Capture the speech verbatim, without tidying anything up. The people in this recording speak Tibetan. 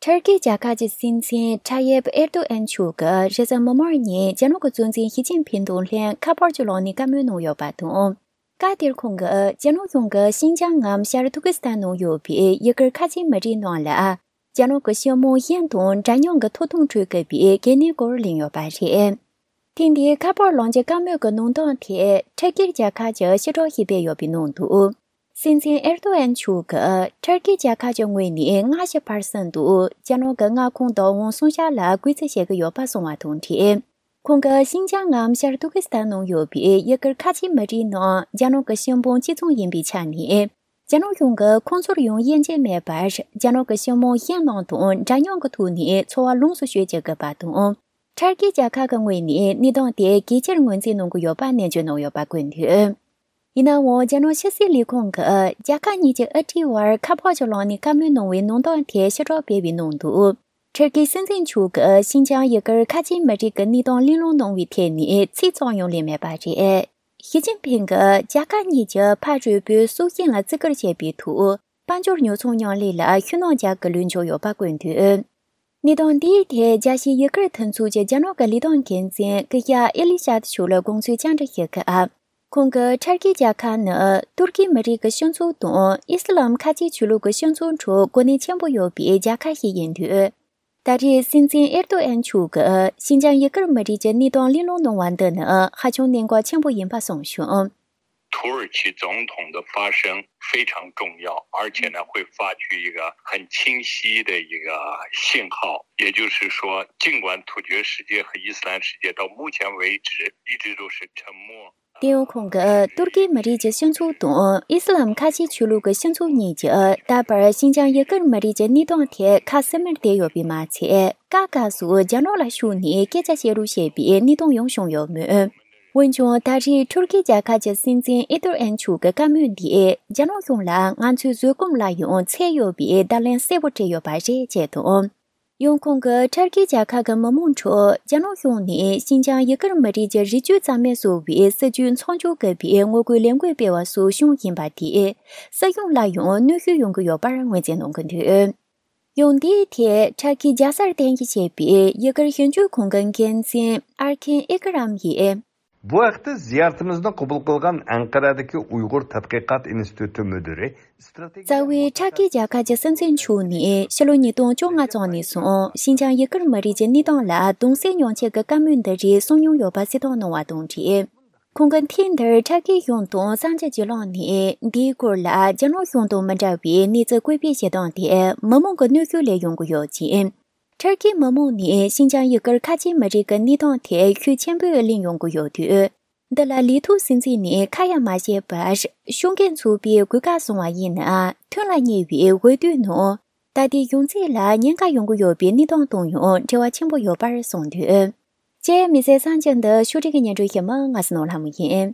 ཐར་ཀི་རྒྱལ་ཁབ་ཀྱི་སྲིད་འཛིན་ཐ་ཡེབ་ཨེར་ཏོ་ཨན་མཆོག་གིས་རེས་གཟའ་མིག་དམར་ཉིན་རྒྱ་ནག་གི་གཙོ་འཛིན་ཞི་ཅིན་ཕིང་དང་ལྷན་ཁ་པར་གྱི་ལམ་ནས་བཀའ་མོལ་གནང་ཡོད་པ་དང་། སྐབས་དེར་ཁོང་གིས་རྒྱ་ནག་གཞུང་གིས་ཤིན་ཅང་ངམ་ཤར་ཏུར་ཀི་སི་ཐན་ནང་ཡོད་པའི་ཡུ་གུར་ཁ་ཆེ་མི་རིགས་ནང་ལ་རྒྱ་ནག་གི་སྤྱི་དམངས་གཞན་དང་འདྲ་མཉམ་གྱི་ཐོབ་ཐང་སྤྲོད་དགོས་པའི་གལ་གནད་སྐོར་གླེང་ཡོད་པ་རེད། ཐེངས་འདིའི་ཁ་པར་ལམ་གྱི་བཀའ་མོལ་གྱི་གནང་སྟངས་ཐད་ཐར་ཀི་རྒྱལ་ཁབ་ཀྱིས་ཕྱིར་བསྒྲགས་ཤིག་སྤེལ་ཡོད་པའི་ནང་དུ། སྲིད་འཛིན་ཨེར་ཏོ་ཨན་མཆོག་གིས་ཐར་ཀི་རྒྱལ་ཁབ་ཀྱི་ངོས་ནས་ལྔ་བཅུ་པར་སེན་དུ་རྒྱ་ནག་གི་མངའ་ཁོངས་བདག་དབང་སྲུང་བྱ་ལ་གུས་བརྩི་བྱེད་ཀྱི་ཡོད་པ་གསུངས་པ་དང་འབྲེལ། ཁོང་གིས་ཤིན་ཅང་ངམ་ཤར་ཏུར་ཀི་སི་ཐན་ནང་ཡོད་པའི་ཡུ་གུར་ཁ་ཆེ་མི་རིགས་ནང་རྒྱ་ནག་གི་སྤྱི་དམངས་གཅིག་མཚུངས་ཡིན་པའི་ཆ་ནས། རྒྱ་ནག་གཞུང་གིས་ཁོང་ཚོར་ཡང་དབྱེ་འབྱེད་མེད་པར་རྒྱ་ནག་གི་སྤྱི་དམངས་གཞན་རྣམས་དང་འདྲ་མཉམ་གྱི་ཐོག་ནས་འཚོ་བ་ལོངས་སུ་སྤྱོད་བྱེད་དགོས་པ་དང་། ཐར་ཀི་རྒྱལ་ཁབ་ཀྱི་ངོས་ནས་གནས་སྟངས་དེ་གལ་ཆེར་ངོས་འཛིན་གནང་གི་ཡོད་པ་ནན་བརྗོད་གནང་ཡོད་པ་བཀོད་འདུག་ཡིན་ནའང་། རྒྱ་ནག་ཕྱི་སྲིད་ལས་ཁུངས་ཀྱིས་རྒྱལ་ཁབ་གཉིས་ཀྱི་དབུ་ཁྲིད་དབར་ཁ་པར་གྱི་ལམ་ནས་བཀའ་མོལ་གནང་བའི་གནང་སྟངས་ཐད་ཕྱིར་བསྒྲགས་སྤེལ་བའི་ནང་དུ། ཐར་ཀི་སྲིད་འཛིན་མཆོག་གིས་ཤིན་ཅང་ཡུ་གུར་ཁ་ཆེ་མི་རིགས་ཀྱི་གནས་སྟངས་གླེང་སློང་གནང་བའི་ཐད་ནས་ཚིག་ཙམ་ཡང་གླེང་མེད་པ་རེད། ཞི་ཅིན་ཕིང་གིས་རྒྱལ་ཁབ་གཉིས་ཀྱི་ཕ་རོལ་པོའི་སྲོག་ཤིང་ལ་བརྩི་བཀུར་བྱེད་པའི་ཐོག་དཔལ་འབྱོར་ཉོ་ཚོང་མཉམ་ལས་ལ་ཤུགས་སྣོན་རྒྱག་དགོས་ལུགས་འཇོག་ཡོད་པ་བཀོད་འདུག་གནད་དོན་འདིའི་ཐད་རྒྱལ་སྤྱིའི་ཡུ་གུར་མཐུན་ཚོགས་ཀྱི་རྒྱ་ནག་གི་ལས་དོན་འགན་འཛིན་ཀི་ཡ་ཨེ་ལི་ཤད་མཆོག་ལ་དགོངས་ཚུལ་བཅར་འདྲི་ཞུས་སྐབས། ཁོང་གིས་ཐར་ཀི་རྒྱལ་ཁབ་ནི་ཏུར་ཀི་མི་རིགས་ཀྱི་སྤྱི་ཚོགས་དང་ཨི་སི་ལམ་ཁ་ཆེའི་ཆོས་ལུགས་ཀྱི་སྤྱི་ཚོགས་ཁྲོད་གོ་གནས་ཆེན་པོ་ཡོད་པའི་རྒྱལ་ཁབ་ཞིག་ཡིན་དུས། ད་རེས་སྲིད་འཛིན་ཨེར་ཏོ་ཨན་མཆོག་གིས་ཤིན་ཅང་ཡུ་གུར་མི་རིགས་ཀྱི་གནས་སྟངས་གླེང་སློང་གནང་བ་འདི་ནི་ཧ་ཅང་གནད་འགག་ཆེན་པོ་ཡིན་པ་གསུངས་བྱུང་། 土耳其总统的发声非常重要，而且呢，会发去一个很清晰的一个信号，也就是说，尽管突厥世界和伊斯兰世界到目前为止一直都是沉默。 དེ་ཡང་ཁོང་གིས་ཏུར་ཀི་མི་རིགས་ཀྱི་སྤྱི་ཚོགས་དང་ཨི་སི་ལམ་ཁ་ཆེའི་ཆོས་ལུགས་ཀྱི་སྤྱི་ཚོགས་གཉིས་ཀྱིས་ད་བར་ཤིན་ཅང་ཡུ་གུར་མི་རིགས་ཀྱི་གནས་སྟངས་ཐད་ཁ་སིམ་མེར་བསྡད་ཡོད་པས་མ་ཚད། སྐབས་སྐབས་སུ་རྒྱ་ནག་ལ་ཞུགས་ནས་སྐད་ཆ་བཤད་རོགས་བྱས་པའི་གནས་སྟངས་ཡང་བྱུང་ཡོད་མོད། འོན་ཀྱང་ད་རེས་ཐུར་ཀི་རྒྱལ་ཁབ་ཀྱི་སྲིད་འཛིན་ཨེ་ཏོར་ཨན་མཆོག་གི་བཀའ་མོལ་འདིས་རྒྱ་ནག་གཞུང་ལ་ང་ཚོའི་བཟོད་སྒོམ་ལ་ཡང་ཚད་ཡོད་པའི་བརྡ་ལན་གསལ་པོ་སྤྲད་ཡོད་པ་རེད་ཅེས་དང་། ཡང་ཁོང་གིས་ཐར་ཀི་རྒྱལ་ཁབ་ཀྱི་མི་མང་ཁྲོད་རྒྱ་ནག་གཞུང་ནས་ཤིན་ཅང་ཡུ་གུར་མི་རིགས་ཀྱི་རིག་གཅོད་རྩ་མེད་བཟོ་བའི་སྲིད་ཇུས་མཚམས་འཇོག་དགོས་པའི་ངོ་རྒོལ་ལས་འགུལ་སྤེལ་བ་སོགས་བྱུང་ཡིན་པ་དེས་སྲིད་གཞུང་ལ་ཡང་གནོན་ཤུགས་ཡོང་གི་ཡོད་པར་ངོས་འཛིན་གནང་གི་འདུག་ཡང་འདིའི་ཐད་ཐར་ཀི་རྒྱལ་སར་རྟེན་གཞི་བྱས་པའི་ཡུ་གུར་ཞིབ་འཇུག་ཁང་གི་འགན་འཛིན་ཨར་ཁིན་ཨི་ཀི་རམ་ཡིས། بۇ ھەقتە زىيارىتىمىزنى قوبۇل قىلغان ئەنقەرەدىكى ئۇيغۇر تەتقىقات ئىنستىتۇتى مۇدىرى. རྩ་བའི་ཐར་ཀི་རྒྱལ་ཁབ་ཀྱི་སྲིད་འཛིན་མཆོག་ནས་ཕྱི་ལོ་ཉིས་སྟོང་བཅོ་ལྔ་ཙམ་ནས་བཟུང་ཤིན་ཅང་ཡུ་གུར་མི་རིགས་ཀྱི་གནས་སྟངས་ལ་གདུང་སེམས་མྱོང་ཆེད་ཀྱི་བཀའ་མོལ་འདི་རིགས་གསུང་མྱོང་ཡོད་པ་གསལ་སྟོན་གནང་བ་དང་འབྲེལ། ཁོང་གིས་ཐེངས་འདིར་ཐར་ཀི་གཞུང་དང་གསར་འགྱུར་བརྒྱུད་ལམ་ནས་འདིའི་སྐོར་ལ་རྒྱ་ནག་གཞུང་དང་མི་འདྲ་བའི་གནས་ཚུལ་བཀོད་སྤེལ་བྱེད་སྟངས་དེ་མི་མང་གི་གནོན་ཤུགས་ལས་ཡོང་གི་ཡོད་ཅིང་། ཐར་ཀིའི་མི་མང་ནས་ཤིན་ཅང་ཡུ་གུར་ཁ་ཆེའི་མི་རིགས་ཀྱི་གནས་སྟངས་ཐད་ཤུགས་ཆེན་པོས་གླེང་ཡོང་གི་ཡོད་དུས། འདི་ལ་ལས་ཐོག་སྲིད་འཛིན་ནས་ཁ་ཡ་མ་བྱས་པར་ཤོག་འགན་འཚོགས་པའི་གོ་སྐབས་བཟུང་བ་ཡིན་ན་ཐོན་ལ་ཉེ་བའི་འོས་བསྡུའི་ནང་ད་ལྟའི་གཞུང་འཛིན་ལ་ཉེན་ཁ་ཡོང་གི་ཡོད་པའི་གནས་སྟངས་དང་ཡང་འབྲེལ་བ་ཆེན་པོ་ཡོད་པར་གསུངས་འདུག་ཅེས་མི་ཚེ་གསར་འགྱུར་འདི་ཕྱོགས་སྒྲིག་གི་སྙན་སྒྲོན་ཞུ་མི་ང་སི་ནོར་ལྷ་མོ་ཡིན།